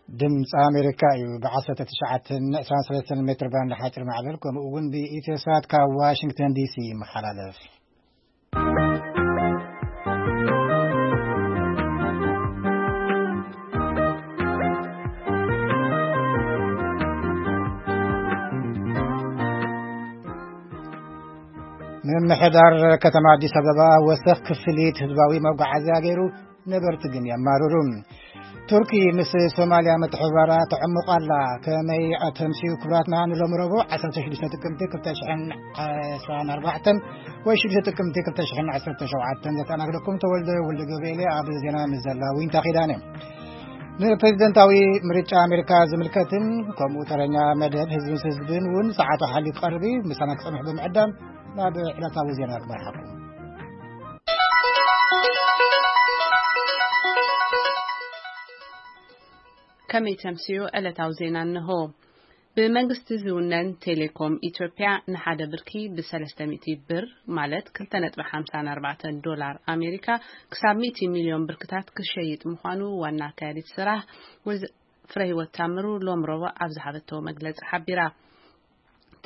ድምፂ ኣሜሪካ እዩ። ብ19 23 ሜትር ባንድ ሓፂር ማዕበል፣ ከምኡ እውን ብኢትዮሳት ካብ ዋሽንግተን ዲሲ ይመሓላለፍ። ምምሕዳር ከተማ ኣዲስ ኣበባ ወሰኽ ክፍሊት ህዝባዊ መጓዓዝያ ገይሩ፣ ነበርቲ ግን የማርሩ። ቱርኪ ምስ ሶማልያ ምትሕብባራ ተዕምቕ ኣላ። ከመይ ኣተምስዩ? ክቡራትና፣ ንሎሚ ረቡዕ 16 ጥቅምቲ 2024 ወይ 6 ጥቅምቲ 2017 ዘተኣናግደኩም ተወልደ ወልደ ገብርኤል ኣብ ዜና፣ ምስ ዘላ ዊንታ ኪዳነ። ንፕሬዝደንታዊ ምርጫ ኣሜሪካ ዝምልከትን ከምኡ ተረኛ መደብ ህዝብን ህዝብን እውን ሰዓቱ ሓሊፉ ክቐርብ እዩ። ምሳና ክጸንሑ ብምዕዳም ናብ ዕለታዊ ዜና ክመርሓኩም። ከመይ ተምስዮ ዕለታዊ ዜና እንሆ። ብመንግስቲ ዝውነን ቴሌኮም ኢትዮጵያ ንሓደ ብርኪ ብ300 ብር፣ ማለት 2.54 ዶላር ኣሜሪካ፣ ክሳብ 100 ሚልዮን ብርክታት ክሸይጥ ምዃኑ ዋና ኣካያዲት ስራሕ ወይዘ-፣ ፍረህይወት ታምሩ ሎም ረቡዕ ኣብ ዝሃበቶ መግለጺ ሓቢራ።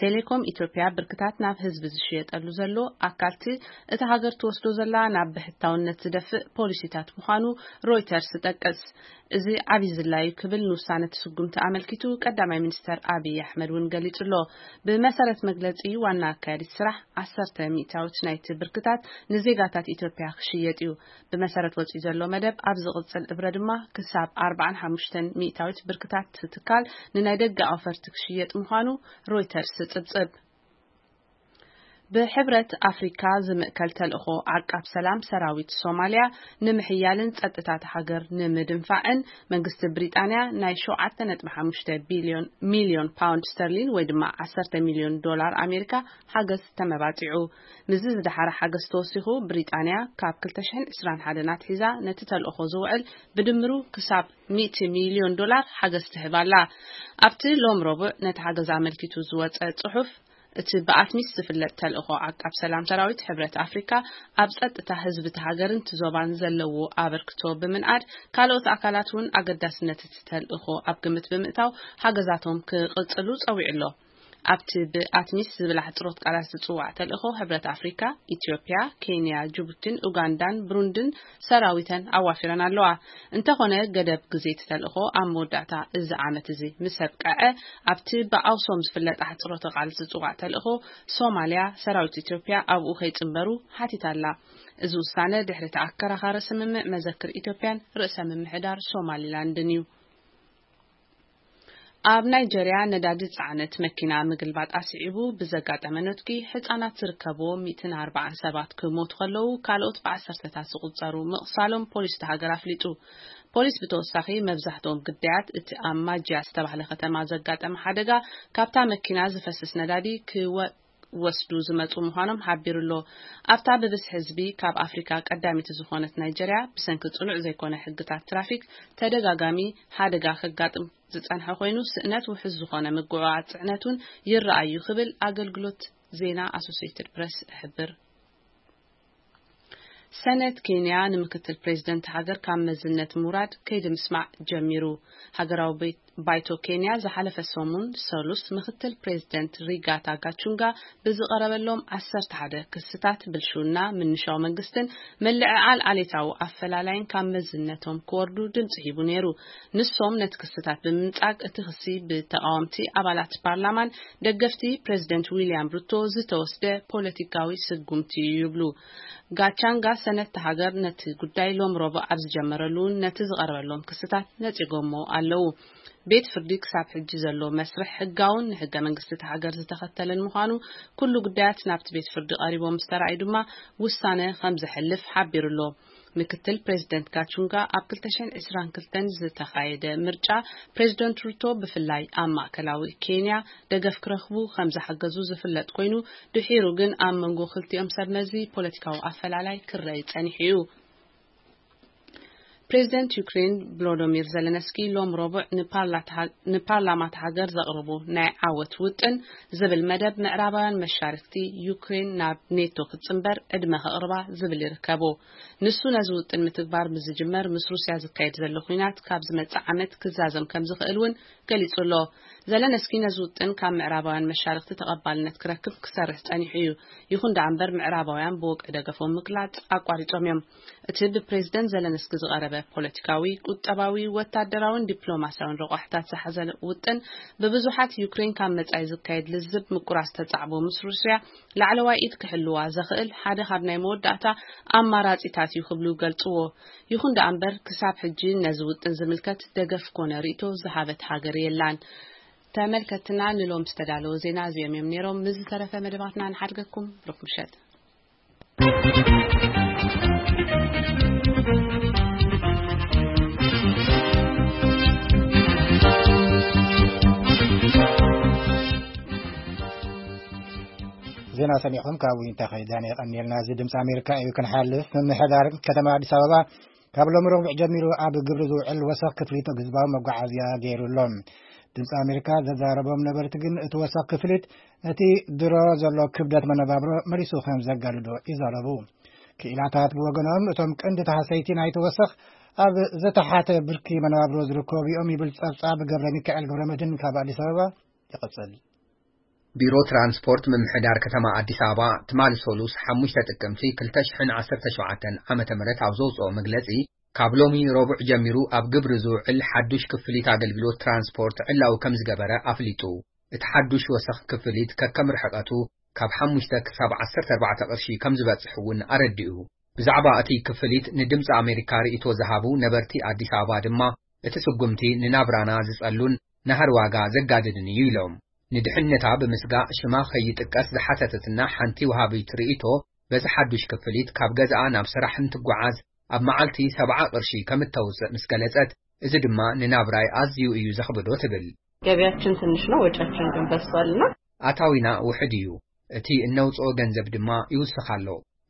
ቴሌኮም ኢትዮጵያ ብርክታት ናብ ህዝቢ ዝሽየጠሉ ዘሎ ኣካልቲ እታ ሃገር ትወስዶ ዘላ ናብ ብሕታውነት ዝደፍእ ፖሊሲታት ምዃኑ ሮይተርስ ይጠቅስ። እዚ ዓብዪ ዝላዩ ክብል ንውሳነ እቲ ስጉምቲ ኣመልኪቱ ቀዳማይ ሚኒስተር ኣብይ ኣሕመድ እውን ገሊጹ ኣሎ። ብመሰረት መግለጺ ዋና ኣካያዲት ስራሕ፣ 10% ናይቲ ብርክታት ንዜጋታት ኢትዮጵያ ክሽየጥ እዩ። ብመሰረት ወጺኡ ዘሎ መደብ፣ ኣብ ዝቕጽል እብረ ድማ ክሳብ 45% ብርክታት ትካል ንናይ ደገ ኣውፈርቲ ክሽየጥ ምዃኑ ሮይተርስ ይጽብጽብ። ብሕብረት ኣፍሪካ ዝምእከል ተልእኾ ዓቃብ ሰላም ሰራዊት ሶማልያ ንምሕያልን ጸጥታት ሃገር ንምድንፋዕን መንግስቲ ብሪጣንያ ናይ 7.5 ቢልዮን፣ ሚልዮን ፓውንድ ስተርሊን ወይ ድማ 10 ሚልዮን ዶላር ኣሜሪካ ሓገዝ ተመባጺዑ። ምስዚ ዝደሓረ ሓገዝ ተወሲኹ፣ ብሪጣንያ ካብ 2021 ኣትሒዛ ነቲ ተልእኾ ዝውዕል ብድምሩ ክሳብ 100 ሚልዮን ዶላር ሓገዝ ትህብ ኣላ። ኣብቲ ሎም ረቡዕ ነቲ ሓገዝ ኣመልኪቱ ዝወጸ ጽሑፍ፣ እቲ ብኣትሚስ ዝፍለጥ ተልእኾ ዓቃብ ሰላም ሰራዊት ሕብረት ኣፍሪካ ኣብ ጸጥታ ህዝቢ እቲ ሃገርን እቲ ዞባን ዘለዎ ኣበርክቶ ብምንኣድ፣ ካልኦት ኣካላት እውን ኣገዳስነት እቲ ተልእኾ ኣብ ግምት ብምእታው ሓገዛቶም ክቕጽሉ ጸዊዑ ኣሎ። ኣብቲ ብኣትሚስ ዝብል ኣሕጽሮት ቃላት ዝጽዋዕ ተልእኾ፣ ሕብረት ኣፍሪካ፣ ኢትዮጵያ፣ ኬንያ፣ ጅቡቲን ኡጋንዳን ብሩንድን ሰራዊተን ኣዋፊረን ኣለዋ። እንተኾነ፣ ገደብ ግዜ እቲ ተልእኾ ኣብ መወዳእታ እዚ ዓመት እዚ ምስ ኣብቅዐ፣ ኣብቲ ብኣውሶም ዝፍለጥ ኣሕጽሮተ ቃል ዝጽዋዕ ተልእኾ ሶማልያ፣ ሰራዊት ኢትዮጵያ ኣብኡ ከይጽንበሩ ሓቲታ ኣላ። እዚ ውሳነ ድሕሪ እቲ ኣከራኻሪ ስምምዕ መዘክር ኢትዮጵያን ርእሰ ምምሕዳር ሶማሊላንድን እዩ። ኣብ ናይጀርያ ነዳዲ ዝጸዓነት መኪና ምግልባጥ ኣስዒቡ ብዘጋጠመ ነትጒ፣ ህጻናት ዝርከብዎ 140 ሰባት ክሞቱ ከለዉ፣ ካልኦት ብዓሰርተታት ዝቑጸሩ ምቕሳሎም ፖሊስ እታ ሃገር ኣፍሊጡ። ፖሊስ ብተወሳኺ፣ መብዛሕትኦም ግዳያት እቲ ኣብ ማጅያ ዝተባህለ ከተማ ዘጋጠመ ሓደጋ፣ ካብታ መኪና ዝፈስስ ነዳዲ ክወ-፣ ወስዱ ዝመጹ ምዃኖም ሓቢሩ ኣሎ። ኣብታ ብብዝሒ ህዝቢ ካብ ኣፍሪካ ቀዳሚት ዝኾነት ናይጀርያ፣ ብሰንኪ ጽኑዕ ዘይኮነ ሕግታት ትራፊክ ተደጋጋሚ ሓደጋ ከጋጥም ዝጸንሐ ኮይኑ፣ ስእነት ውሑስ ዝኾነ ምጉዕዓዝ ጽዕነት እውን ይረኣዩ ክብል ኣገልግሎት ዜና ኣሶሲየትድ ፕረስ ይሕብር። ሰነት ኬንያ ንምክትል ፕሬዝደንት ሃገር ካብ መዝነት ምውራድ ከይዲ ምስማዕ ጀሚሩ። ሃገራዊ ቤት ባይቶ ኬንያ ዝሓለፈ ሰሙን ሰሉስ ምክትል ፕሬዝደንት ሪጋታ ጋቹንጋ ብዝቐረበሎም 11 ክስታት ብልሽውና፣ ምንሻው መንግስትን ምልዕዓል ዓሌታዊ ኣፈላላይን ካብ መዝነቶም ክወርዱ ድምፂ ሂቡ ነይሩ። ንሶም ነቲ ክስታት ብምንጻግ፣ እቲ ክሲ ብተቓወምቲ ኣባላት ፓርላማን ደገፍቲ ፕሬዝደንት ዊልያም ሩቶ ዝተወስደ ፖለቲካዊ ስጉምቲ እዩ ይብሉ። ጋቻንጋ ሰነድቲ ሃገር ነቲ ጉዳይ ሎም ረቡዕ ኣብ ዝጀመረሉ እውን ነቲ ዝቐረበሎም ክስታት ነጺጎሞ ኣለዉ። ቤት ፍርዲ ክሳብ ሕጂ ዘሎ መስርሕ ሕጋውን ንሕገ መንግስቲ እቲ ሃገር ዝተኸተለን ምዃኑ፣ ኩሉ ጉዳያት ናብቲ ቤት ፍርዲ ቀሪቦም ምስ ተራእዩ ድማ ውሳነ ከም ዘሕልፍ ሓቢሩ ኣሎ። ምክትል ፕሬዝደንት ጋቹንጋ ኣብ 2022 ዝተኻየደ ምርጫ ፕሬዝደንት ሩቶ ብፍላይ ኣብ ማእከላዊ ኬንያ ደገፍ ክረኽቡ ከም ዝሓገዙ ዝፍለጥ ኮይኑ፣ ድሒሩ ግን ኣብ መንጎ ክልቲኦም ሰብ መዚ ፖለቲካዊ ኣፈላላይ ክረይ ጸኒሑ እዩ። ፕሬዚደንት ዩክሬን ቮሎዶሚር ዘለንስኪ ሎም ረቡዕ ንፓርላታ-፣ ንፓርላማት ሃገር ዘቕርቡ ናይ ዓወት ውጥን ዝብል መደብ ምዕራባውያን መሻርክቲ ዩክሬን ናብ ኔቶ ክትጽንበር ዕድመ ከቕርባ ዝብል ይርከቡ። ንሱ ነዚ ውጥን ምትግባር ምስ ዝጅመር ምስ ሩስያ ዝካየድ ዘሎ ኲናት ካብ ዝመጽእ ዓመት ክዛዘም ከም ዝኽእል እውን ገሊጹ ኣሎ። ዘለንስኪ ነዚ ውጥን ካብ ምዕራባውያን መሻርክቲ ተቐባልነት ክረክብ ክሰርሕ ጸኒሑ እዩ። ይኹን ደኣ እምበር ምዕራባውያን ብወግዒ ደገፎም ምግላጽ ኣቋሪጾም እዮም። እቲ ብፕሬዚደንት ዘለንስኪ ዝቐረበ ፖለቲካዊ፣ ቁጠባዊ፣ ወታደራውን ዲፕሎማስያውን ረቋሕታት ዝሓዘ ውጥን ብብዙሓት ዩክሬን ካብ መጻኢ ዝካየድ ልዝብ ምቁራጽ ተጻዕቦ ምስ ሩስያ ላዕለዋይ ኢድ ክሕልዋ ዘኽእል ሓደ ካብ ናይ መወዳእታ ኣማራጺታት እዩ ክብሉ ይገልጽዎ። ይኹን ደኣ እምበር ክሳብ ሕጂ ነዚ ውጥን ዝምልከት ደገፍ ኮነ ርእይቶ ዝሃበት ሃገር የላን። ተመልከትና ንሎም ዝተዳለወ ዜና እዚኦም እዮም ነይሮም። ምስ ዝተረፈ መደባትና ንሓድገኩም። ብሩክ ምሸት። ዜና ሰሚዕኹም ካብ ዊንታ ከይዳን የቐኒልና። እዚ ድምፂ ኣሜሪካ እዩ። ክንሓልፍ፣ ምምሕዳር ከተማ ኣዲስ ኣበባ ካብ ሎም ረቡዕ ጀሚሩ ኣብ ግብሪ ዝውዕል ወሰኽ ክፍሊት ህዝባዊ መጓዓዝያ ገይሩ ኣሎ። ድምፂ ኣሜሪካ ዘዛረቦም ነበርቲ ግን እቲ ወሰኽ ክፍሊት ነቲ ድሮ ዘሎ ክብደት መነባብሮ መሊሱ ከም ዘጋድዶ ይዛረቡ። ክኢላታት ብወገኖም እቶም ቀንዲ ተሃሰይቲ ናይቲ ወሰኽ ኣብ ዝተሓተ ብርኪ መነባብሮ ዝርከቡ እዮም ይብል ጸብጻብ ገብረ ሚካኤል ገብረ መድህን ካብ ኣዲስ ኣበባ ይቕጽል። ቢሮ ትራንስፖርት ምምሕዳር ከተማ ኣዲስ ኣበባ ትማሊ ሰሉስ ሓሙሽተ ጥቅምቲ ክልተ ሽሕን ዓሰርተ ሸውዓተን ዓመተ ምህረት ኣብ ዘውፅኦ መግለፂ፣ ካብ ሎሚ ረቡዕ ጀሚሩ ኣብ ግብሪ ዝውዕል ሓዱሽ ክፍሊት ኣገልግሎት ትራንስፖርት ዕላዊ ከም ዝገበረ ኣፍሊጡ። እቲ ሓዱሽ ወሰኽ ክፍሊት ከከም ርሕቐቱ ካብ ሓሙሽተ ክሳብ ዓሰርተ ኣርባዕተ ቅርሺ ከም ዝበፅሕ እውን ኣረዲኡ። ብዛዕባ እቲ ክፍሊት ንድምፂ ኣሜሪካ ርእይቶ ዝሃቡ ነበርቲ ኣዲስ ኣበባ ድማ፣ እቲ ስጉምቲ ንናብራና ዝጸሉን ናህሪ ዋጋ ዘጋድድን እዩ ኢሎም። ንድሕነታ ብምስጋእ ሽማ ከይጥቀስ ዝሓተተትና ሓንቲ ወሃቢት ርእይቶ፣ በዚ ሓዱሽ ክፍሊት ካብ ገዛኣ ናብ ስራሕ እንትጓዓዝ ኣብ መዓልቲ ሰብዓ ቅርሺ ከም እተውፅእ ምስ ገለጸት፣ እዚ ድማ ንናብራይ ኣዝዩ እዩ ዘኽብዶ ትብል። ገቢያችን ትንሽ ነው፣ ወጪያችን ግን በዝቷልና። ኣታዊና ውሑድ እዩ፣ እቲ እነውፅኦ ገንዘብ ድማ ይውስኽ ኣሎ።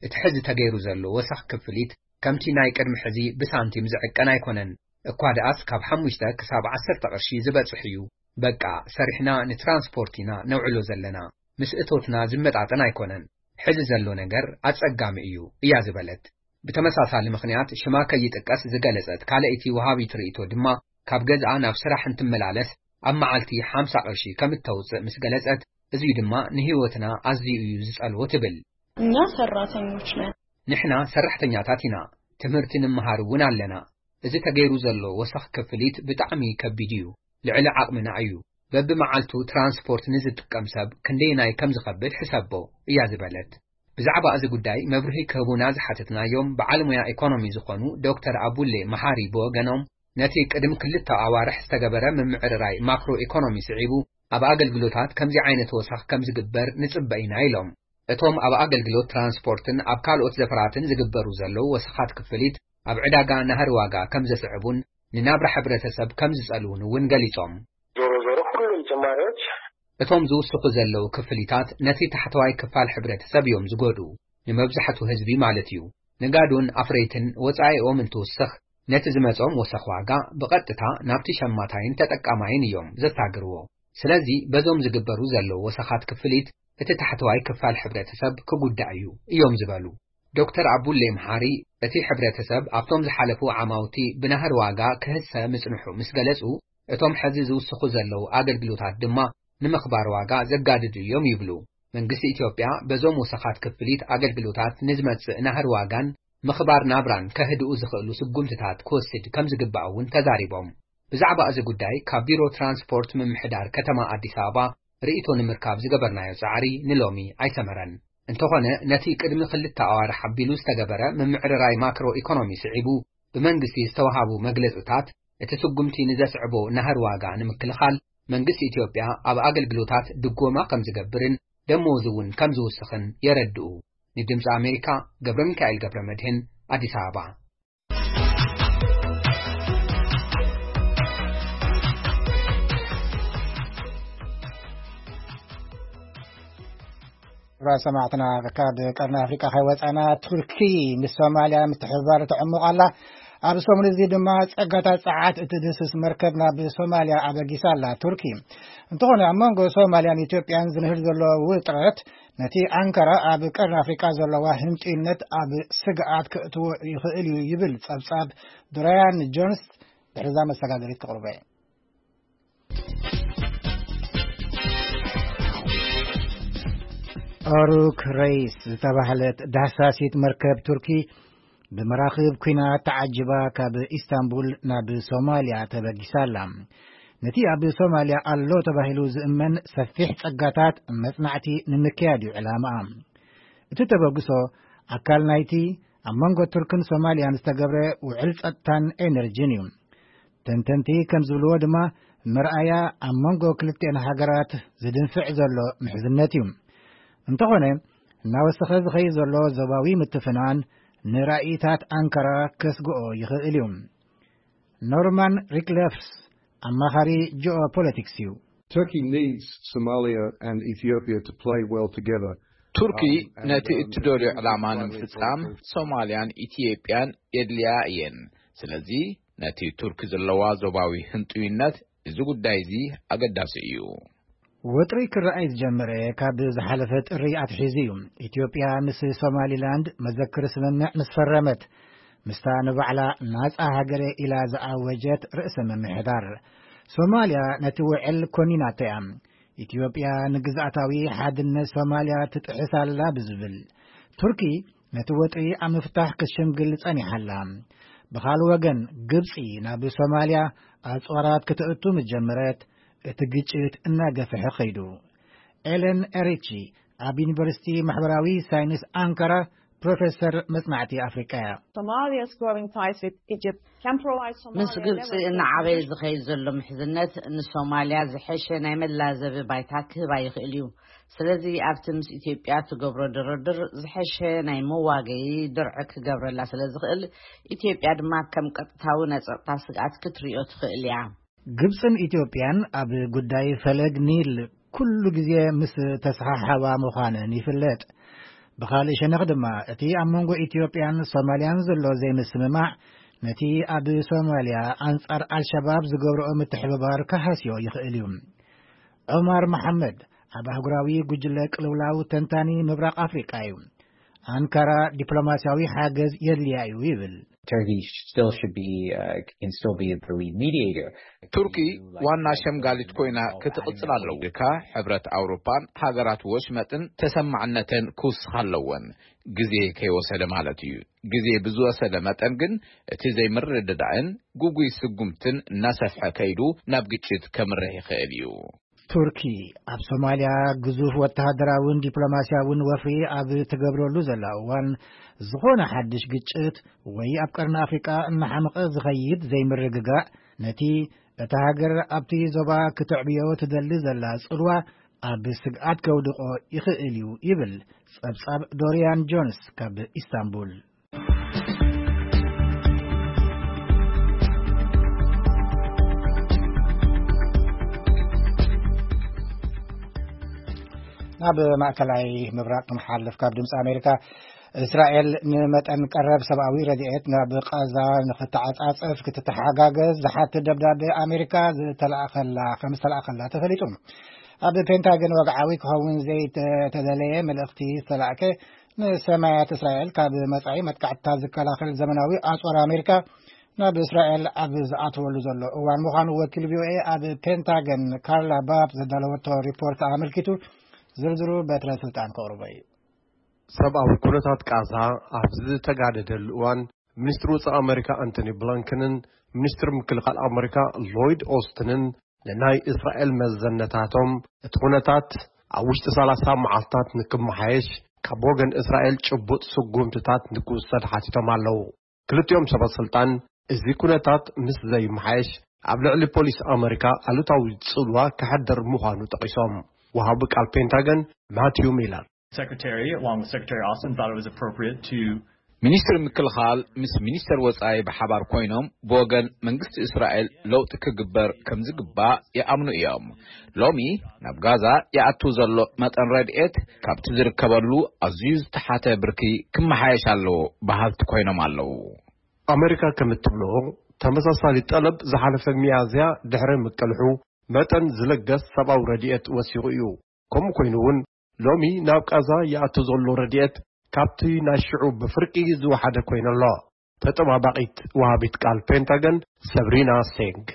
እቲ ሕዚ ተገይሩ ዘሎ ወሰኽ ክፍሊት ከምቲ ናይ ቅድሚ ሕዚ ብሳንቲም ዝዕቀን ኣይኮነን። እኳ ደኣስ ካብ ሓሙሽተ ክሳብ ዓሰርተ ቅርሺ ዝበጽሕ እዩ። በቃ፣ ሰሪሕና ንትራንስፖርት ኢና ነውዕሎ ዘለና። ምስ እቶትና ዝመጣጠን ኣይኮነን። ሕዚ ዘሎ ነገር ኣጸጋሚ እዩ፣ እያ ዝበለት። ብተመሳሳሊ ምኽንያት ሽማ ከይጥቀስ ዝገለጸት ካልኣይቲ ወሃቢት ርእይቶ ድማ፣ ካብ ገዝኣ ናብ ስራሕ እንትመላለስ ኣብ መዓልቲ ሓምሳ ቅርሺ ከም እተውጽእ ምስ ገለጸት፣ እዚዩ ድማ ንህይወትና ኣዝዩ እዩ ዝጸልዎ ትብል። እኛ ሰራተኞች ነን። ንሕና ሰራሕተኛታት ኢና። ትምህርቲ ንምሃር እውን ኣለና። እዚ ተገይሩ ዘሎ ወሰኽ ክፍሊት ብጣዕሚ ከቢድ እዩ። ልዕሊ ዓቕምና እዩ። በብመዓልቱ ትራንስፖርት ንዝጥቀም ሰብ ክንደየናይ ከም ዝኸብድ ሕሰቦ፣ እያ ዝበለት። ብዛዕባ እዚ ጉዳይ መብርሂ ክህቡና ዝሓተትናዮም በዓል ሞያ ኢኮኖሚ ዝኾኑ ዶክተር ኣቡሌ መሓሪ ብወገኖም፣ ነቲ ቅድሚ ክልተ ኣዋርሕ ዝተገበረ ምምዕርራይ ማክሮ ኢኮኖሚ ስዒቡ፣ ኣብ ኣገልግሎታት ከምዚ ዓይነት ወሰኽ ከም ዝግበር ንጽበ ኢና ኢሎም። እቶም ኣብ ኣገልግሎት ትራንስፖርትን ኣብ ካልኦት ዘፈራትን ዝግበሩ ዘለዉ ወሰኻት ክፍሊት፣ ኣብ ዕዳጋ ናህሪ ዋጋ ከም ዘስዕቡን ንናብራ ሕብረተሰብ ከም ዝጸልዉን እውን ገሊጾም። ዞሮ ዞሮ ሁሉም ጭማሪዎች እቶም ዝውስኹ ዘለዉ ክፍሊታት ነቲ ታሕተዋይ ክፋል ሕብረተሰብ እዮም ዝጎድኡ፣ ንመብዛሕቱ ህዝቢ ማለት እዩ። ነጋዶን ኣፍረይትን ወጻኢኦም እንትውስኽ፣ ነቲ ዝመጾም ወሰኽ ዋጋ ብቐጥታ ናብቲ ሸማታይን ተጠቃማይን እዮም ዘሳግርዎ። ስለዚ በዞም ዝግበሩ ዘለዉ ወሰኻት ክፍሊት እቲ ታሕተዋይ ክፋል ሕብረተሰብ ክጉዳእ እዩ እዮም ዝበሉ። ዶክተር ኣቡሌ መሓሪ፣ እቲ ሕብረተሰብ ኣብቶም ዝሓለፉ ዓማውቲ ብናህሪ ዋጋ ክህሰ ምጽንሑ ምስ ገለጹ፣ እቶም ሕዚ ዝውስኹ ዘለዉ ኣገልግሎታት ድማ ንምኽባር ዋጋ ዘጋድዱ እዮም ይብሉ። መንግስቲ ኢትዮጵያ በዞም ወሰኻት ክፍሊት ኣገልግሎታት ንዝመጽእ ናህሪ ዋጋን ምኽባር ናብራን ከህድኡ ዝኽእሉ ስጉምትታት ክወስድ ከም ዝግባእ እውን ተዛሪቦም። ብዛዕባ እዚ ጉዳይ ካብ ቢሮ ትራንስፖርት ምምሕዳር ከተማ ኣዲስ ኣበባ ርእይቶ ንምርካብ ዝገበርናዮ ጻዕሪ ንሎሚ ኣይሰመረን። እንተኾነ፣ ነቲ ቅድሚ ክልተ ኣዋርሕ ኣቢሉ ዝተገበረ ምምዕርራይ ማክሮ ኢኮኖሚ ስዒቡ፣ ብመንግስቲ ዝተወሃቡ መግለጽታት፣ እቲ ስጉምቲ ንዘስዕቦ ናህሪ ዋጋ ንምክልኻል፣ መንግስቲ ኢትዮጵያ ኣብ ኣገልግሎታት ድጎማ ከም ዝገብርን ደሞዝ እውን ከም ዝውስኽን የረድኡ። ንድምፂ ኣሜሪካ፣ ገብረ ሚካኤል ገብረ መድህን፣ ኣዲስ ኣበባ። ክቡራት ሰማዕትና፣ ካብ ቀርኒ ኣፍሪቃ ከይወጻና፣ ቱርኪ ምስ ሶማልያ ምትሕብባር ተዕሙቕ ኣላ። ኣብ ሰሙን እዚ ድማ ጸጋታት ጸዓት እትድህስስ መርከብ ናብ ሶማልያ ኣበጊሳ ኣላ ቱርኪ። እንተኾነ፣ ኣብ መንጎ ሶማልያን ኢትዮጵያን ዝንህር ዘሎ ውጥረት፣ ነቲ ኣንካራ ኣብ ቀርኒ ኣፍሪቃ ዘለዋ ህንጡይነት ኣብ ስግኣት ከእትዎ ይኽእል እዩ ይብል ጸብጻብ ዶራያን ጆንስ። ድሕርዛ መሰጋገሪት ክቕርበ። ኦሩክ ረይስ ዝተባህለት ዳህሳሲት መርከብ ቱርኪ፣ ብመራኽብ ኲናት ተዓጂባ ካብ ኢስታንቡል ናብ ሶማልያ ተበጊሳ ኣላ። ነቲ ኣብ ሶማልያ ኣሎ ተባሂሉ ዝእመን ሰፊሕ ጸጋታት መጽናዕቲ ንምክያድ እዩ ዕላማኣ። እቲ ተበግሶ ኣካል ናይቲ ኣብ መንጎ ቱርክን ሶማልያን ዝተገብረ ውዕል ጸጥታን ኤነርጂን እዩ። ተንተንቲ ከም ዝብልዎ ድማ፣ መርኣያ ኣብ መንጎ ክልቲኤን ሃገራት ዝድንፍዕ ዘሎ ምሕዝነት እዩ። እንተኾነ፣ እናወሰኸ ዝኸይድ ዘሎ ዞባዊ ምትፍናን ንራእይታት ኣንካራ ከስግኦ ይኽእል እዩ። ኖርማን ሪክለፍስ ኣማኻሪ ጂኦፖለቲክስ እዩ። Turkey needs Somalia and Ethiopia to play well together. ቱርኪ ነቲ እትደልዮ ዕላማ ንምፍጻም ሶማልያን ኢትዮጵያን የድልያ እየን። ስለዚ ነቲ ቱርኪ ዘለዋ ዞባዊ ህንጡይነት፣ እዚ ጉዳይ እዚ ኣገዳሲ እዩ። ወጥሪ ክረኣይ ዝጀመረ ካብ ዝሓለፈ ጥሪ ኣትሒዙ እዩ። ኢትዮጵያ ምስ ሶማሊላንድ መዘክር ስምምዕ ምስ ፈረመት፣ ምስታ ንባዕላ ናጻ ሃገረ ኢላ ዝኣወጀት ርእሰ ምምሕዳር፣ ሶማልያ ነቲ ውዕል ኮኒናቶ እያ። ኢትዮጵያ ንግዝኣታዊ ሓድነት ሶማልያ ትጥሕስ ኣላ ብዝብል፣ ቱርኪ ነቲ ወጥሪ ኣብ ምፍታሕ ክትሽምግል ጸኒሓ ኣላ። ብኻልእ ወገን፣ ግብጺ ናብ ሶማልያ ኣጽዋራት ክትእቱ ምስ ጀመረት፣ እቲ ግጭት እናገፍሐ ኸይዱ። ኤለን ኤሪቺ ኣብ ዩኒቨርሲቲ ማሕበራዊ ሳይንስ ኣንካራ ፕሮፌሰር መጽናዕቲ ኣፍሪቃ እያ። Somalia's growing ties with Egypt can provide Somalia ምስ ግብፂ እናዓበየ ዝኸይድ ዘሎ ምሕዝነት ንሶማልያ ዝሐሸ ናይ መላዘቢ ባይታ ክህባ ይኽእል እዩ። ስለዚ ኣብቲ ምስ ኢትዮጵያ ትገብሮ ድርድር ዝሐሸ ናይ መዋገዪ ድርዒ ክገብረላ ስለ ዝኽእል፣ ኢትዮጵያ ድማ ከም ቀጥታዊ ናይ ጸጥታ ስግኣት ክትርእዮ ትኽእል እያ። ግብጽን ኢትዮጵያን ኣብ ጉዳይ ፈለግ ኒል ኩሉ ግዜ ምስ ተሰሓሓባ ምዃነን ይፍለጥ። ብኻልእ ሸነኽ ድማ፣ እቲ ኣብ መንጎ ኢትዮጵያን ሶማልያን ዘሎ ዘይምስምማዕ፣ ነቲ ኣብ ሶማልያ ኣንጻር ኣልሸባብ ዝገብርኦ ምትሕብባር ክሃስዮ ይኽእል እዩ። ዑማር መሓመድ ኣብ ኣህጉራዊ ጉጅለ ቅልውላው ተንታኒ ምብራቕ ኣፍሪቃ እዩ። ኣንካራ ዲፕሎማስያዊ ሓገዝ የድልያ እዩ ይብል። Turkey still should be, uh, can still be the lead mediator. ቱርኪ ዋና ሸምጋሊት ኮይና ክትቕጽል ኣለዎ። ኢልካ ሕብረት ኣውሮፓን ሃገራት ወሽመጥን ተሰማዕነተን ክውስኻ ኣለወን። ግዜ ከይወሰደ ማለት እዩ። ግዜ ብዝወሰደ መጠን ግን እቲ ዘይምርድዳእን ግጉይ ስጉምትን እናሰፍሐ ከይዱ ናብ ግጭት ከምርሕ ይኽእል እዩ። ቱርኪ ኣብ ሶማልያ ግዙፍ ወተሃደራውን ዲፕሎማስያውን ወፍሪ ኣብ ትገብረሉ ዘላ እዋን፣ ዝኾነ ሓድሽ ግጭት ወይ ኣብ ቀርኒ ኣፍሪቃ እናሓመቐ ዝኸይድ ዘይምርግጋእ፣ ነቲ እታ ሃገር ኣብቲ ዞባ ክትዕብዮ ትደሊ ዘላ ጽልዋ ኣብ ስግኣት ከውድቖ ይኽእል እዩ ይብል ጸብጻብ ዶሪያን ጆንስ ካብ ኢስታንቡል። ናብ ማእከላይ ምብራቕ ክንሓልፍ፣ ካብ ድምፂ ኣሜሪካ፣ እስራኤል ንመጠን ቀረብ ሰብኣዊ ረድኤት ናብ ቃዛ ንክተዓጻጸፍ ክትተሓጋገዝ ዝሓትት ደብዳቤ ኣሜሪካ ዝተላእኸላ፣ ከም ዝተላእኸላ ተፈሊጡ። ኣብ ፔንታገን ወግዓዊ ክኸውን ዘይተደለየ መልእኽቲ ዝተላእከ፣ ንሰማያት እስራኤል ካብ መጻኢ መጥቃዕትታት ዝከላኸል ዘመናዊ ኣጽዋር ኣሜሪካ ናብ እስራኤል ኣብ ዝኣተወሉ ዘሎ እዋን ምዃኑ ወኪል ቪኦኤ ኣብ ፔንታገን ካርላ ባብ ዘዳለወቶ ሪፖርት ኣመልኪቱ፣ ዝርዝሩ በትረ ስልጣን ከቕርቦ እዩ። ሰብኣዊ ኩነታት ቃዛ ኣብ ዝተጋደደሉ እዋን፣ ሚኒስትሪ ወጻኢ ኣመሪካ ኣንቶኒ ብሊንከንን ሚኒስትሪ ምክልኻል ኣመሪካ ሎይድ ኦስትንን ንናይ እስራኤል መዘነታቶም፣ እቲ ኩነታት ኣብ ውሽጢ ሰላሳ መዓልታት ንክመሓየሽ ካብ ወገን እስራኤል ጭቡጥ ስጉምትታት ንክውሰድ ሓቲቶም ኣለዉ። ክልቲኦም ሰበ ስልጣን፣ እዚ ኩነታት ምስ ዘይመሓየሽ ኣብ ልዕሊ ፖሊስ ኣመሪካ ኣሉታዊ ጽልዋ ከሕድር ምዃኑ ጠቒሶም። ወሃቢ ቃል ፔንታገን ማቲዩ ሚለር፣ Secretary, along with Secretary Austin, thought it was appropriate to ሚኒስትር ምክልኻል ምስ ሚኒስተር ወጻኢ ብሓባር ኮይኖም፣ ብወገን መንግስቲ እስራኤል ለውጢ ክግበር ከም ዝግባእ ይኣምኑ እዮም። ሎሚ ናብ ጋዛ ይኣቱ ዘሎ መጠን ረድኤት ካብቲ ዝርከበሉ ኣዝዩ ዝተሓተ ብርኪ ክመሓየሽ ኣለዎ በሃልቲ ኮይኖም ኣለዉ። ኣመሪካ ከም እትብሎ፣ ተመሳሳሊ ጠለብ ዝሓለፈ ሚያዝያ ድሕሪ ምቅልሑ፣ መጠን ዝለገስ ሰብኣዊ ረድኤት ወሲኹ እዩ። ከምኡ ኮይኑ እውን፣ ሎሚ ናብ ቃዛ ይኣቱ ዘሎ ረድኤት ካብቲ ናይ ሽዑ ብፍርቂ ዝወሓደ ኮይኑ ኣሎ። ተጠባባቒት ወሃቢት ቃል ፔንታገን ሰብሪና ሴንግ።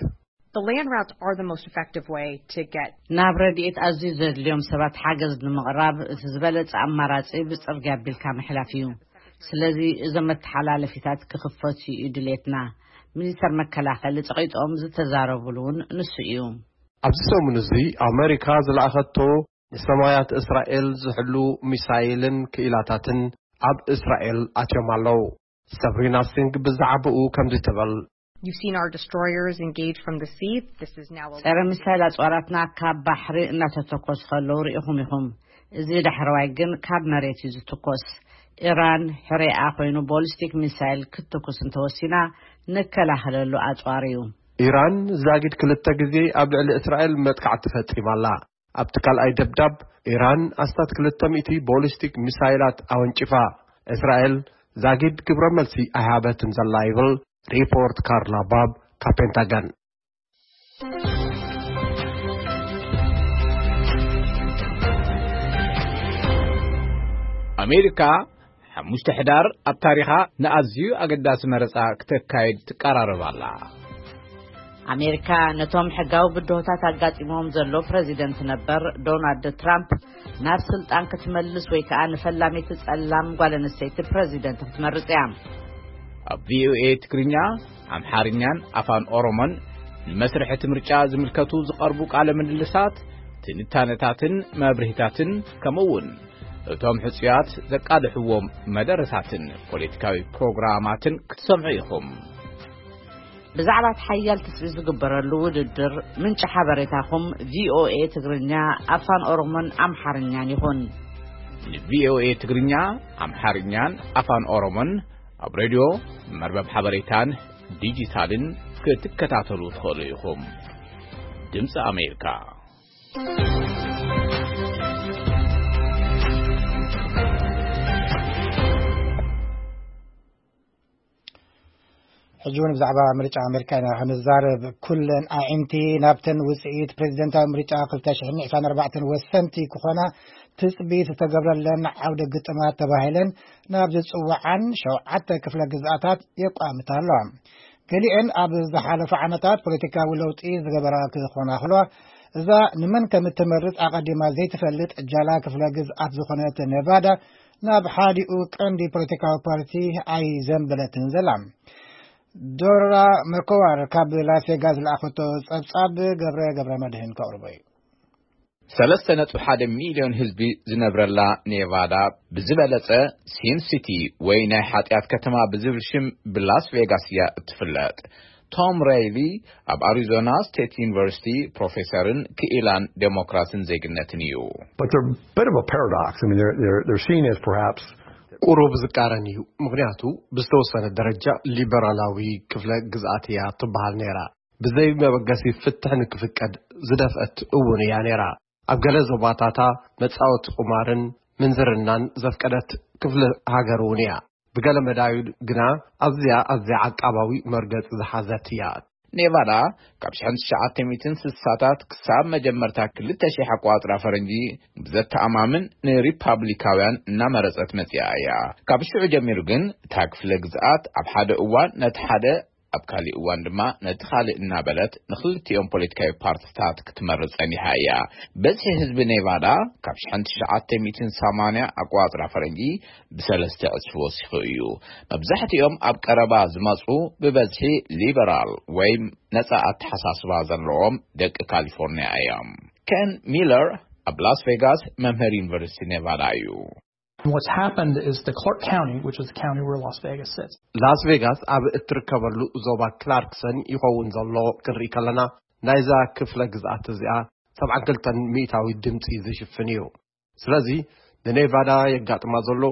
The land routes are the most effective way to get ናብ ረድኤት ኣዝዩ ዘድልዮም ሰባት ሓገዝ ንምቕራብ እቲ ዝበለጸ ኣማራጺ ብጽርግያ ኣቢልካ ምሕላፍ እዩ። ስለዚ እዞም መተሓላለፊታት ክኽፈቱ እዩ ድሌትና። ሚኒስተር መከላኸሊ ጸቒጦም ዝተዛረቡሉ እውን ንሱ እዩ። ኣብዚ ሰሙን እዚ ኣመሪካ ዝለኣኸቶ ንሰማያት እስራኤል ዝሕሉ ሚሳይልን ክኢላታትን ኣብ እስራኤል ኣትዮም ኣለዉ። ሰብሪና ሲንግ ብዛዕባኡ ከምዚ ትብል። You've seen our destroyers engage from the sea. This is now a ጸረ ሚሳይል ኣጽዋራትና ካብ ባሕሪ እናተተኮሱ ከለዉ ርኢኹም ኢኹም። እዚ ዳሕረዋይ ግን ካብ መሬት እዩ ዝትኮስ። ኢራን ሕሬኣ ኮይኑ ቦሊስቲክ ሚሳይል ክትትኩስ እንተወሲና፣ ንከላኸለሉ ኣጽዋር እዩ። ኢራን ዛጊድ ክልተ ግዜ ኣብ ልዕሊ እስራኤል መጥቃዕቲ ፈጺማ ኣላ። ኣብቲ ካልኣይ ደብዳብ፣ ኢራን ኣስታት ክልተ ሚእቲ ቦሊስቲክ ሚሳይላት ኣወንጭፋ። እስራኤል ዛጊድ ግብረ መልሲ ኣይሃበትን ዘላ ይብል ሪፖርት ካርላ ባብ ካብ ፔንታገን። ኣሜሪካ ሓሙሽተ ሕዳር ኣብ ታሪኻ ንኣዝዩ ኣገዳሲ መረጻ ክተካይድ ትቀራረብ ኣላ። ኣሜሪካ ነቶም ሕጋዊ ብድሆታት ኣጋጢሞም ዘሎ ፕረዚደንት ነበር ዶናልድ ትራምፕ ናብ ስልጣን ክትመልስ ወይ ከዓ ንፈላሚት ጸላም ጓል ኣንስተይቲ ፕረዚደንት ክትመርጽ እያ። ኣብ ቪኦኤ ትግርኛ፣ ኣምሓርኛን ኣፋን ኦሮሞን ንመስርሕ እቲ ምርጫ ዝምልከቱ ዝቐርቡ ቃለ ምልልሳት፣ ትንታነታትን መብርሂታትን፣ ከምኡ እውን እቶም ሕጹያት ዘቃልሕዎም መደረታትን ፖለቲካዊ ፕሮግራማትን ክትሰምዑ ኢኹም። ብዛዕባ እቲ ሓያል ትጽቢት ዝግበረሉ ውድድር፣ ምንጪ ሓበሬታኹም ቪኦኤ ትግርኛ፣ ኣፋን ኦሮሞን ኣምሓርኛን ይኹን። ንቪኦኤ ትግርኛ፣ ኣምሓርኛን ኣፋን ኦሮሞን ኣብ ሬድዮ፣ መርበብ ሓበሬታን ዲጂታልን ክትከታተሉ ትኽእሉ ኢኹም። ድምፂ ኣሜሪካ። ሕጂ እውን ብዛዕባ ምርጫ ኣሜሪካ ኢና ክንዛረብ። ኩለን ኣዒንቲ ናብተን ውፅኢት ፕሬዚደንታዊ ምርጫ ክልተ ሽሕን ዕስራን ኣርባዕተን ወሰንቲ ክኾና ትፅቢት ዝተገብረለን ዓውደ ግጥማት ተባሂለን ናብ ዝፅውዓን ሸውዓተ ክፍለ ግዝኣታት የቋምታ ኣለዋ። ገሊአን ኣብ ዝሓለፉ ዓመታት ፖለቲካዊ ለውጢ ዝገበራ ክኾና ከለዋ፣ እዛ ንመን ከም እትመርጽ ኣቐዲማ ዘይትፈልጥ ጃላ ክፍለ ግዝኣት ዝኾነት ኔቫዳ ናብ ሓዲኡ ቀንዲ ፖለቲካዊ ፓርቲ ኣይዘንበለትን ዘላ። ዶራ መኮዋር ካብ ላስ ቬጋስ ዝለኣኸቶ ጸብጻብ ገብረ ገብረ መድህን ከቕርቦ እዩ። ሰለስተ ነጥቢ ሓደ ሚልዮን ህዝቢ ዝነብረላ ኔቫዳ፣ ብዝበለጸ ሲን ሲቲ ወይ ናይ ሓጢኣት ከተማ ብዝብል ሽም ብላስ ቬጋስ እያ እትፍለጥ። ቶም ሬይሊ ኣብ ኣሪዞና ስቴት ዩኒቨርሲቲ ፕሮፌሰርን ክኢላን ዴሞክራሲን ዜግነትን እዩ። But they're a bit of a paradox. I mean, they're, they're, they're seen as perhaps ቁሩብ ዝቃረን እዩ፣ ምኽንያቱ ብዝተወሰነ ደረጃ ሊበራላዊ ክፍለ ግዝኣት እያ ትበሃል ነይራ። ብዘይ መበገሲ ፍትሕ ንክፍቀድ ዝደፍአት እውን እያ ነይራ። ኣብ ገለ ዞባታታ መጻወቲ ቁማርን ምንዝርናን ዘፍቀደት ክፍለ ሃገር እውን እያ። ብገለ መዳዩ ግና ኣዝያ ኣዝያ ዓቃባዊ መርገጺ ዝሓዘት እያ። ኔቫዳ ካብ ሽሕን ትሽዓተ ሚእትን ስሳታት ክሳብ መጀመርታ ክልተ ሺሕ ኣቋጽራ ፈረንጂ ብዘተኣማምን ንሪፓብሊካውያን እናመረጸት መጺኣ እያ። ካብ ሽዑ ጀሚሩ ግን እታ ክፍለ ግዝኣት ኣብ ሓደ እዋን ነቲ ሓደ ኣብ ካሊእ እዋን ድማ ነቲ ካልእ እናበለት ንክልቲኦም ፖለቲካዊ ፓርትታት ክትመርጽ ጸኒሓ እያ። በዝሒ ህዝቢ ኔቫዳ ካብ ሽሕን ትሽዓተ ሚእትን ሰማንያ ኣቋጽራ ፈረንጂ ብሰለስተ ዕጽፊ ወሲኹ እዩ። መብዛሕትኦም ኣብ ቀረባ ዝመጹ ብበዝሒ ሊበራል ወይ ነጻ ኣተሓሳስባ ዘለዎም ደቂ ካሊፎርኒያ እዮም። ኬን ሚለር ኣብ ላስ ቬጋስ መምህር ዩኒቨርሲቲ ኔቫዳ እዩ። And what's happened is the Clark County, which is the county where Las Vegas sits, ላስ ቬጋስ ኣብ እትርከበሉ ዞባ ክላርክሰን ይኸውን ዘሎ ክንርኢ ከለና፣ ናይዛ ክፍለ ግዝኣት እዚኣ ሰብዓን ክልተን ሚእታዊ ድምፂ ዝሽፍን እዩ። ስለዚ ንኔቫዳ የጋጥማ ዘሎ፣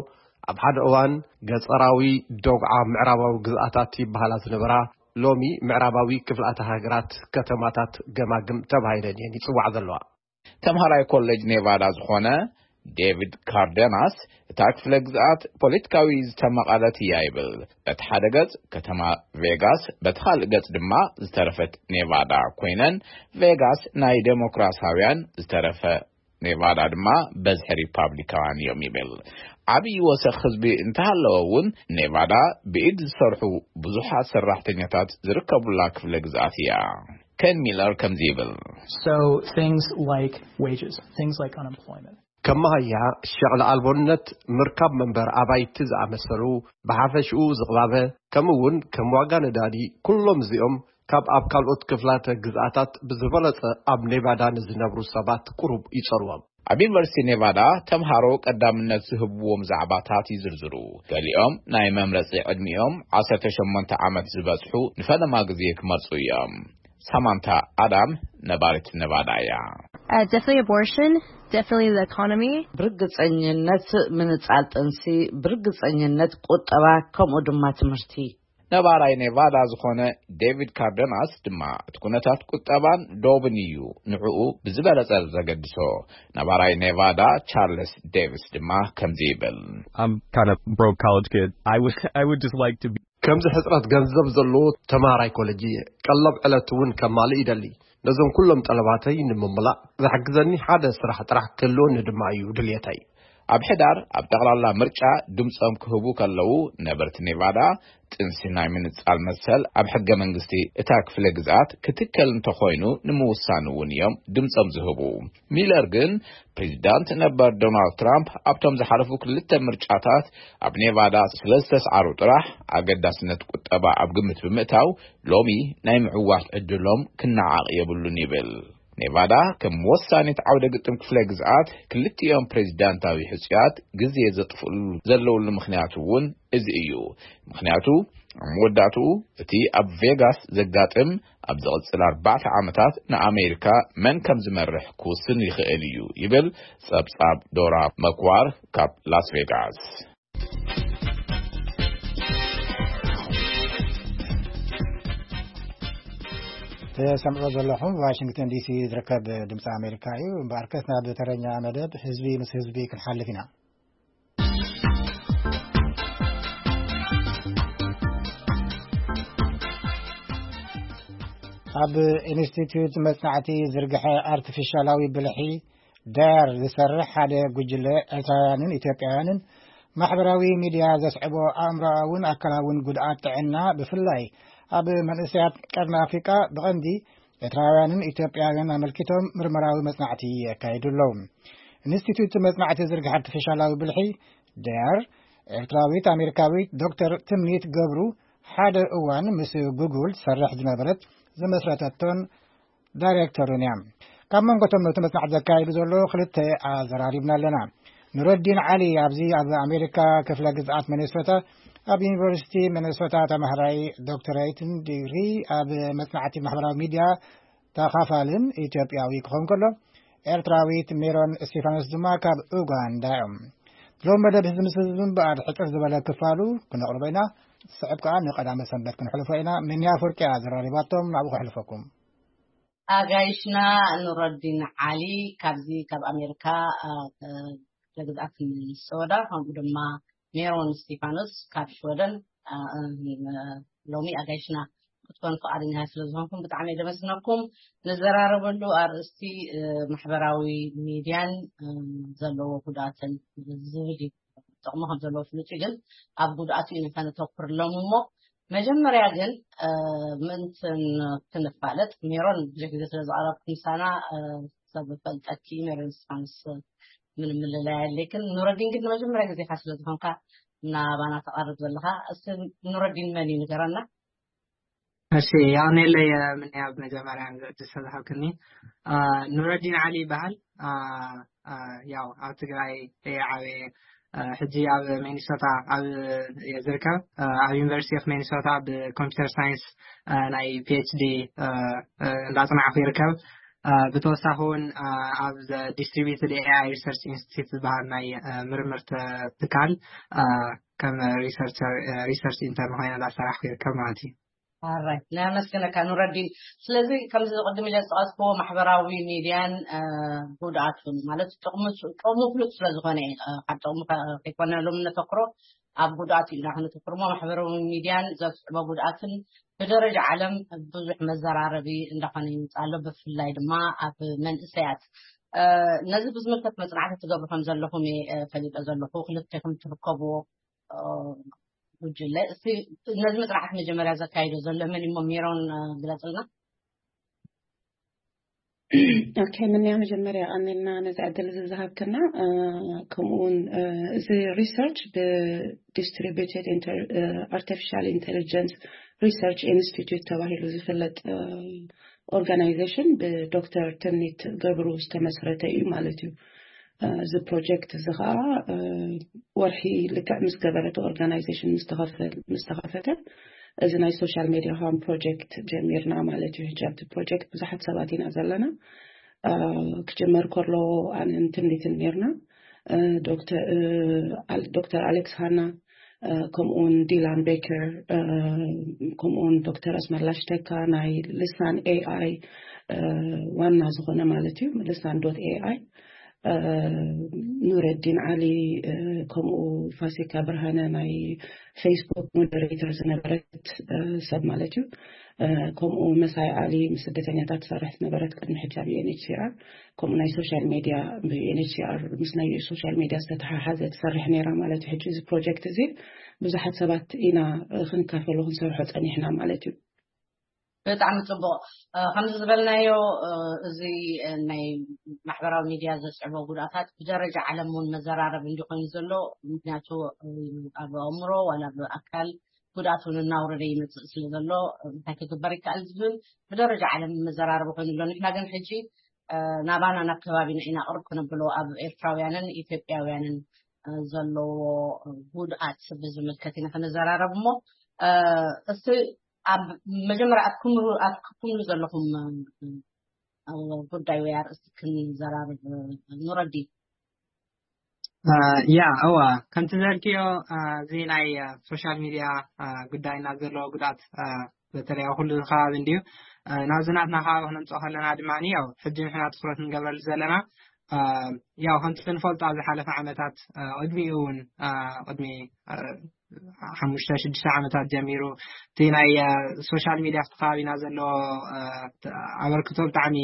ኣብ ሓደ እዋን ገፀራዊ ዶግዓ ምዕራባዊ ግዝኣታት ይበሃላ ዝነበራ፣ ሎሚ ምዕራባዊ ክፍላተ ሃገራት ከተማታት ገማግም ተባሂለን እየን ይፅዋዕ ዘለዋ። ተምሃራይ ኮሌጅ ኔቫዳ ዝኾነ ዴቪድ ካርደናስ፣ እታ ክፍለ ግዝኣት ፖለቲካዊ ዝተመቐለት እያ ይብል። በቲ ሓደ ገጽ ከተማ ቬጋስ፣ በቲ ካልእ ገጽ ድማ ዝተረፈት ኔቫዳ ኮይነን፣ ቬጋስ ናይ ዴሞክራሲያውያን፣ ዝተረፈ ኔቫዳ ድማ በዝሒ ሪፓብሊካውያን እዮም ይብል። ዓብዪ ወሰኽ ህዝቢ እንተሃለወ እውን፣ ኔቫዳ ብኢድ ዝሰርሑ ብዙሓት ሰራሕተኛታት ዝርከቡላ ክፍለ ግዝኣት እያ። ኬን ሚለር ከምዚ ይብል። So things like wages, things like unemployment. ከም መሃያ፣ ሸቕሊ ኣልቦነት፣ ምርካብ መንበር ኣባይቲ ዝኣመሰሉ፣ ብሓፈሽኡ ዝቕባበ፣ ከምኡ እውን ከም ዋጋ ነዳዲ፣ ኩሎም እዚኦም ካብ ኣብ ካልኦት ክፍላተ ግዝኣታት ብዝበለጸ ኣብ ኔቫዳ ንዝነብሩ ሰባት ቁሩብ ይጸርዎም። ኣብ ዩኒቨርሲቲ ኔቫዳ ተምሃሮ ቀዳምነት ዝህብዎም ዛዕባታት ይዝርዝሩ። ገሊኦም ናይ መምረጺ ዕድሚኦም ዓሰርተ ሸሞንተ ዓመት ዝበጽሑ ንፈለማ ግዜ ክመርጹ እዮም። ሳማንታ ኣዳም ነባሪት ኔቫዳ እያ። Uh, definitely abortion, definitely the economy. ብርግጸኝነት ምንጻል ጥንሲ፣ ብርግጸኝነት ቁጠባ፣ ከምኡ ድማ ትምህርቲ። ነባራይ ኔቫዳ ዝኾነ ዴቪድ ካርደናስ ድማ፣ እቲ ኩነታት ቁጠባን ዶብን እዩ ንዕኡ ብዝበለጸ ዘገድሶ። ነባራይ ኔቫዳ ቻርልስ ዴቪስ ድማ ከምዚ ይብል። I'm kind of broke college kid. I would I would just like to be ከምዚ ሕጽረት ገንዘብ ዘለዎ ተማሃራይ ኮለጅ እየ። ቀለብ ዕለት እውን ከማልእ ይደሊ። ነዞም ኩሎም ጠለባተይ ንምምላእ ዝሕግዘኒ ሓደ ስራሕ ጥራሕ ክህልወኒ ድማ እዩ ድልየተይ። ኣብ ሕዳር ኣብ ጠቕላላ ምርጫ ድምጾም ክህቡ ከለዉ፣ ነበርቲ ኔቫዳ ጥንሲ ናይ ምንጻል መሰል ኣብ ሕገ መንግስቲ እታ ክፍለ ግዝኣት ክትከል እንተኾይኑ ንምውሳን እውን እዮም ድምጾም ዝህቡ። ሚለር ግን፣ ፕሬዚዳንት ነበር ዶናልድ ትራምፕ ኣብቶም ዝሓለፉ ክልተ ምርጫታት ኣብ ኔቫዳ ስለ ዝተስዓሩ ጥራሕ፣ ኣገዳስነት ቁጠባ ኣብ ግምት ብምእታው፣ ሎሚ ናይ ምዕዋት ዕድሎም ክነዓቕ የብሉን ይብል። ኔቫዳ ከም ወሳኒት ዓውደ ግጥም ክፍለ ግዝኣት፣ ክልቲኦም ፕሬዚዳንታዊ ሕጹያት ግዜ ዘጥፍእሉ ዘለውሉ ምኽንያት እውን እዚ እዩ። ምኽንያቱ፣ ኣብ መወዳእትኡ እቲ ኣብ ቬጋስ ዘጋጥም፣ ኣብ ዝቕጽል ኣርባዕተ ዓመታት ንኣሜሪካ መን ከም ዝመርሕ ክውስን ይኽእል እዩ ይብል ጸብጻብ ዶራ መክዋር ካብ ላስ ቬጋስ። ተሰምዑ ዘለኹም ዋሽንግተን ዲሲ ዝርከብ ድምፂ ኣሜሪካ እዩ። እምበኣርከስ ናብ ተረኛ መደብ ህዝቢ ምስ ህዝቢ ክንሓልፍ ኢና። ኣብ ኢንስቲትዩት መጽናዕቲ ዝርግሐ ኣርቲፊሻላዊ ብልሒ ዳያር ዝሰርሕ ሓደ ጉጅለ ኤርትራውያንን ኢትዮጵያውያንን ማሕበራዊ ሚድያ ዘስዕቦ ኣእምሮኣውን ኣካላውን ጉድኣት ጥዕና፣ ብፍላይ ኣብ መንእሰያት ቀርኒ ኣፍሪቃ፣ ብቐንዲ ኤርትራውያንን ኢትዮጵያውያን ኣመልኪቶም ምርመራዊ መጽናዕቲ የካይዱ ኣለዉ። ኢንስቲትዩት መጽናዕቲ ዝርግሐ ኣርቲፊሻላዊ ብልሒ ዳያር፣ ኤርትራዊት ኣሜሪካዊት ዶክተር ትምኒት ገብሩ፣ ሓደ እዋን ምስ ጉግል ትሰርሕ ዝነበረት፣ ዝመስረተቶን ዳይሬክተሩን እያ። ካብ መንጎቶም ነቲ መጽናዕቲ ዘካይዱ ዘሎ ክልተ ኣዘራሪብና ኣለና። ኑረዲን ዓሊ ኣብዚ ኣብ ኣሜሪካ ክፍለ ግዝኣት ሚኒሶታ ኣብ ዩኒቨርሲቲ ሚኒሶታ ተማሃራይ ዶክተሬትን ዲግሪ ኣብ መጽናዕቲ ማሕበራዊ ሚድያ ተኻፋልን ኢትዮጵያዊ ክኸውን ከሎ፣ ኤርትራዊት ሜሮን እስቲፋኖስ ድማ ካብ ኡጋንዳ እዮም። ሎም መደብ ህዝቢ ምስ ህዝቢ እምበኣር ሕጽር ዝበለ ክፋሉ ክነቕርቦ ኢና። ዝስዕብ ከኣ ንቐዳመ ሰንበት ክንሕልፎ ኢና። ሚንያ ፍርቂ እያ ዘራሪባቶም፣ ናብኡ ከሕልፈኩም። ኣጋይሽና ኑረዲን ዓሊ ካብዚ ካብ ኣሜሪካ፣ አ፣ አ፣ ክፍለ ግዝኣት ሚኒሶታ፣ ከምኡ ድማ ሜሮን እስቲፋኖስ ካብ ሽወደን፣ አ፣ አ፣ ሎሚ ኣጋይሽና ክትኮኑ ፍቓደኛታት ስለ ዝኾንኩም ብጣዕሚ እየ ዘመስግነኩም። ንዘራረበሉ ኣርእስቲ፣ እ፣ ማሕበራዊ ሚድያን፣ እ፣ ዘለዎ ጉድኣትን ዝብል እዩ። ጥቕሚ ከም ዘለዎ ፍሉጥ እዩ፣ ግን ኣብ ጉድኣቱ ኢና ከነተኩር ሎም እሞ፣ መጀመርያ ግን፣ እ፣ ምእንቲ ን-፣ ክንፋለጥ፣ ሜሮን ብዙሕ ግዜ ስለ ዝቐረብኩ ምሳና፣ እ፣ ሰብ ፈልጠኪ፣ ሜሮን እስቲፋኖስ ምንም ምልላይ የድልየክን። ኑረዲን ግን ንመጀመርያ ግዜኻ ስለ ዝኾንካ ናባና ተቐርብ ዘለኻ፣ እስቲ ኑረዲን መን እዩ ንገረና። እሺ፣ የቐንየለይ፣ እ፣ ምንያ፣ ብመጀመርያ ንዕድል ስለዝሃብክኒ። እ፣ ኑረዲን ዓሊ ይበሃል። እ፣ እ፣ ያው ኣብ ትግራይ እየ ዓብየ። እ፣ ሕጂ ኣብ ሚኒሶታ ኣብ፣ እየ ዝርከብ። እ፣ ኣብ ዩኒቨርሲቲ ኦፍ ሚኒሶታ ብኮምፒውተር ሳይንስ፣ እ፣ ናይ ፒ ኤች ዲ፣ እ፣ እ፣ እንዳጽናዕኩ ይርከብ። እ፣ ብተወሳኺ እውን፣ እ፣ ኣብ ዲስትሪቢዩትድ ኤ ኣይ ሪሰርች ኢንስቲትዩት ዝበሃል ናይ፣ እ፣ ምርምር ተ-፣ ትካል፣ እ፣ ከም ሪሰርቸር፣ እ፣ ሪሰርች ኢንተርን ኮይነ እንዳሰራሕኩ ይርከብ ማለት እዩ። ኣራይ፣ ነመስግነካ ኑረዲን። ስለዚ ከምዚ ቅድም ኢለ ዝጠቐስክዎ ማሕበራዊ ሚድያን፣ እ፣ ጉድኣቱን ማለት ጥቕሙ፣ ጥቕሙ ፍሉጥ ስለ ዝኾነ እዩ። እ፣ ካብ ጥቕሙ ከ-፣ ከይኮነ ሎም ነተኩሮ ኣብ ጉድኣቱ ኢና ክነተኩር እሞ ማሕበራዊ ሚድያን ዘስዕቦ ጉድኣትን ብደረጃ ዓለም ብዙሕ መዘራረቢ እንዳኾነ ይመጽእ ኣሎ። ብፍላይ ድማ ኣብ መንእሰያት። እ፣ ነዚ ብዝምልከት መጽናዕቲ ትገብሩ ከም ዘለኹም እየ፣ እ፣ ፈሊጠ ዘለኹ። ክልቴኹም ትርከብዎ፣ እ፣ ጉጅለ። እስቲ ነዚ መጽናዕቲ መጀመርያ ዘካይዶ ዘሎ መን እሞ ሜሮን፣ እ፣ ግለጽልና። ኦኬ፣ ምንያ መጀመርያ ኣንልና ነዚ ዕድል እዚ ዝሃብክና፣ እ፣ ከምኡ እውን፣ እ፣ እዚ ሪሰርች ብዲስትሪቢዩትድ ኢንተር-፣ እ፣ ኣርቲፊሻል ኢንቴሊጀንስ ሪሰርች ኢንስቲትዩት ተባሂሉ ዝፍለጥ፣ እ፣ ኦርጋናይዜሽን ብዶክተር ትምኒት ገብሩ ዝተመስረተ እዩ ማለት እዩ። እ፣ እዚ ፕሮጀክት እዚ ኸዓ፣ እ፣ ወርሒ ልክዕ ምስ ገበረት ኦርጋናይዜሽን ምስ ተኸፈ-፣ ምስ ተኸፈተ፣ እዚ ናይ ሶሻል ሜድያ ሆም ፕሮጀክት ጀሚርና ማለት እዩ። ሕጂ ኣብቲ ፕሮጀክት ብዙሓት ሰባት ኢና ዘለና። እ፣ ክጅመር ከሎ ኣነን ትምኒትን ነርና። እ፣ ዶክተር፣ እ፣ ኣል-፣ ዶክተር ኣሌክስ ሃና፣ እ፣ ከምኡውን ዲላን ቤከር፣ እ፣ ከምኡውን ዶክተር ኣስመላሽ ተካ ናይ ልሳን ኤ ኣይ፣ እ፣ ዋና ዝኾነ ማለት እዩ፣ ልሳን ዶት ኤ ኣይ፣ እ፣ ኑረዲን ዓሊ፣ እ፣ ከምኡ ፋሲካ ብርሃነ ናይ ፌስቡክ ሞደሬተር ዝነበረት፣ እ፣ ሰብ ማለት እዩ። እ፣ ከምኡ መሳይ ዓሊ ምስ ስደተኛታት ትሰርሕ ዝነበረት ቅድሚ ሕጂ ኣብ ዩ ኤን ኤች ሲ ኣር፣ ከምኡ ናይ ሶሻል ሜድያ ብ ዩ ኤን ኤች ሲ ኣር ምስ ናይ ሶሻል ሜድያ ዝተተሓሓዘ ትሰርሕ ነይራ ማለት እዩ። ሕጂ እዚ ፕሮጀክት እዚ ብዙሓት ሰባት ኢና፣ እ፣ ክንካፈሎ ክንሰርሖ ጸኒሕና ማለት እዩ። ብጣዕሚ ጽቡቕ። እ፣ ከምዚ ዝበልናዮ፣ እ፣ እዚ፣ እ፣ ናይ ማሕበራዊ ሚድያ ዘስዕቦ ጉድኣታት ብደረጃ ዓለም እውን መዘራረቢ እንዲኾይኑ ዘሎ፣ ምክንያቱ፣ እ፣ ኣብ ኣእምሮ ዋላ ኣብ ኣካል ጉድኣት እውን እናውረደ ይመጽእ ስለ ዘሎ፣ እንታይ ክግበር ይከኣል ዝብል ብደረጃ ዓለም መዘራረቢ ኮይኑ ኣሎ። ንሕና ግን ሕጂ፣ እ፣ ናባና ናብ ከባቢና ኢና ቅርብ ክነብሎ ኣብ ኤርትራውያንን ኢትዮጵያውያንን፣ እ፣ ዘለዎ ጉድኣት ብዝምልከት ኢና ክንዘራረብ እሞ፣ እ፣ እስቲ ኣብ መጀመርያ ኣብ ክምሩ-፣ ኣብ ክትኩምሉ ዘለኹም፣ እ፣ ጉዳይ ወይ ኣርእስቲ ክንዘራረብ፣ እ፣ ኑረዲን። እ፣ ያ፣ እዋ፣ ከምቲ ዘልክዮ፣ እ፣ እዚ ናይ፣ እ፣ ሶሻል ሚድያ፣ እ፣ ጉዳይና ዘለዎ ጉድኣት፣ እ፣ በተለይ ኣብ ኩሉ ከባቢ እንድዩ። እ፣ ናብዚ ናትና ከባቢ ክነምፅኦ ከለና ድማ፣ ያው፣ ሕጂ ንሕና ትኩረት ንገብረሉ ዘለና፣ እ፣ ያው፣ ከምቲ ንፈልጦ ኣብ ዝሓለፈ ዓመታት፣ እ፣ ቅድሚኡ እውን፣ እ፣ ቅድሚ፣ እ፣ ሓሙሽተ ሽዱሽተ ዓመታት ጀሚሩ እቲ ናይ፣ እ፣ ሶሻል ሚድያ ኣብቲ ከባቢና ዘለዎ፣ እ፣ ኣበርክቶ ብጣዕሚ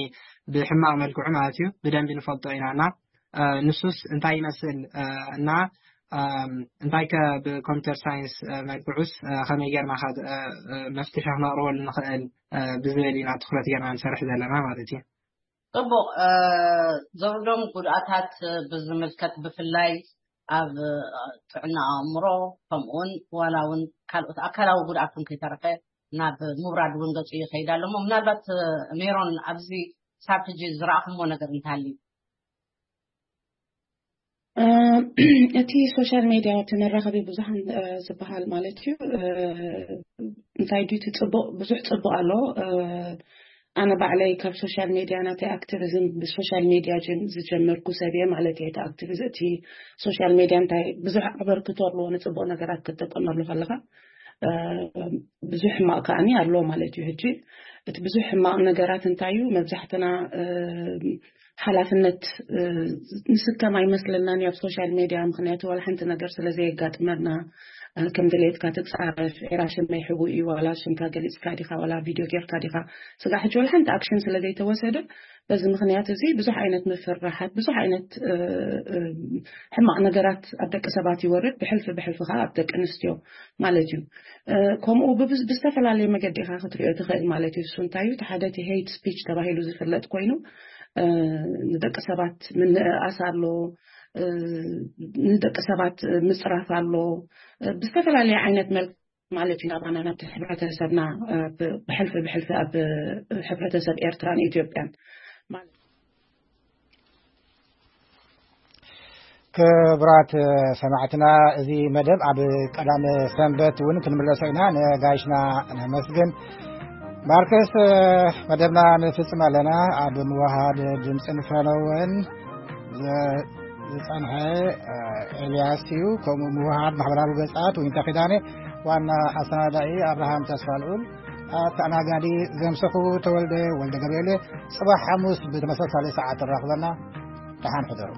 ብሕማቕ መልክዑ ማለት እዩ ብደንቢ ንፈልጦ ኢና እና፣ እ፣ ንሱስ እንታይ ይመስል፣ እ፣ እና፣ እም፣ እንታይ ከ ብኮምፒውተር ሳይንስ፣ እ፣ መልክዑስ፣ እ፣ ከመይ ጌርና ከ፣ እ፣ እ፣ መፍትሒ ክነቕርበሉ ንኽእል፣ እ፣ ብዝብል ኢና ትኹረት ጌርና ንሰርሕ ዘለና ማለት እዩ። ጽቡቕ፣ እ፣ ዘውርዶም ጉድኣታት፣ እ፣ ብዝምልከት ብፍላይ ኣብ፣ እ፣ ጥዕና ኣእምሮ ከምኡውን ዋላ እውን ካልኦት ኣካላዊ ጉድኣት እውን ከይተረፈ ናብ ምውራድ እውን ገጹ ይኸይድ ኣሎ እሞ ምናልባት፣ እ፣ ሜሮን ኣብዚ ክሳብ ሕጂ ዝረኣኹሞ ነገር እንተሃልዩ? እ፣ እቲ ሶሻል ሜድያ እቲ መራኸቢ ብዙሃን፣ እ፣ ዝበሃል ማለት እዩ። እ፣ እንታይ ድዩ እቲ ጽቡቕ፣ ብዙሕ ጽቡቕ ኣሎ። እ፣ ኣነ ባዕለይ ካብ ሶሻል ሜድያ ናተይ ኣክቲቪዝም ብሶሻል ሜድያ ጀም-፣ ዝጀመርኩ ሰብ እየ ማለት እየ። እቲ ኣክቲቪዝም፣ እቲ ሶሻል ሜድያ እንታይ ብዙሕ ኣበርክቶ ኣለዎ ንጽቡቕ ነገራት ክትጥቀመሉ ከለኻ፣ እ፣ ብዙሕ ሕማቕ ከኣኒ ኣሎ ማለት እዩ። ሕጂ እቲ ብዙሕ ሕማቕ ነገራት እንታይ እዩ? መብዛሕትና፣ እ፣ ሓላፍነት፣ እ፣ ንስከም ኣይመስለናን እዩ ኣብ ሶሻል ሜድያ፣ ምኽንያቱ ዋላ ሓንቲ ነገር ስለ ዘየጋጥመና፣ እ፣ ከም ድሌትካ ትጻረፍ፣ ኤራ ሽመይ ሕቡእ እዩ፣ ዋላ ሽምካ ገሊጽካ ዲኻ፣ ዋላ ቪድዮ ጌርካ ዲኻ፣ ስጋዕ ሕጂ ዋላ ሓንቲ ኣክሽን ስለ ዘይተወሰደ፣ በዚ ምኽንያት እዚ ብዙሕ ዓይነት ምፍርራሓት፣ ብዙሕ ዓይነት፣ እ፣ እ፣ ሕማቕ ነገራት ኣብ ደቂ ሰባት ይወርድ፣ ብሕልፊ ብሕልፊ ከኣ ኣብ ደቂ ኣንስትዮ ማለት እዩ። እ፣ ከምኡ ብብዝ-፣ ብዝተፈላለየ መገዲ ኢኻ ክትሪኦ ትኽእል ማለት እዩ። እሱ እንታይ እዩ? እቲ ሓደ እቲ ሄይት ስፒች ተባሂሉ ዝፍለጥ ኮይኑ፣ እ፣ ንደቂ ሰባት ምንእኣስ ኣሎ፣ እ፣ ንደቂ ሰባት ምጽራፍ ኣሎ፣ እ፣ ብዝተፈላለየ ዓይነት መልክ ማለት እዩ። ናባና ናብቲ ሕብረተሰብና፣ እ፣ ብ-፣ ብሕልፊ ብሕልፊ ኣብ፣ እ፣ ሕብረተሰብ ኤርትራን ኢትዮጵያን ማለት እዩ። ክቡራት ሰማዕትና፣ እዚ መደብ ኣብ ቀዳመ ሰንበት እውን ክንምለሶ ኢና። ነጋይሽና ነመስግን። ማርከስ፣ መደብና ንፍጽም ኣለና። ኣብ ምውሃድ ድምፅን ፈነወን ዝ-፣ ዝጸንሐ፣ ኤልያስ እዩ። ከምኡ ምውሃድ ማሕበራዊ ገጻት ዊንታ ኪዳነ፣ ዋና ኣሰናዳኢ ኣብርሃም ተስፋልኡል። ኣተኣናጋዲ ዘምሰኹ ተወልደ ወልደ ገብርኤል። ጽባሕ ሓሙስ ብተመሳሳሊ ሰዓት ንራኽበና። ደሓን ሕደሩ።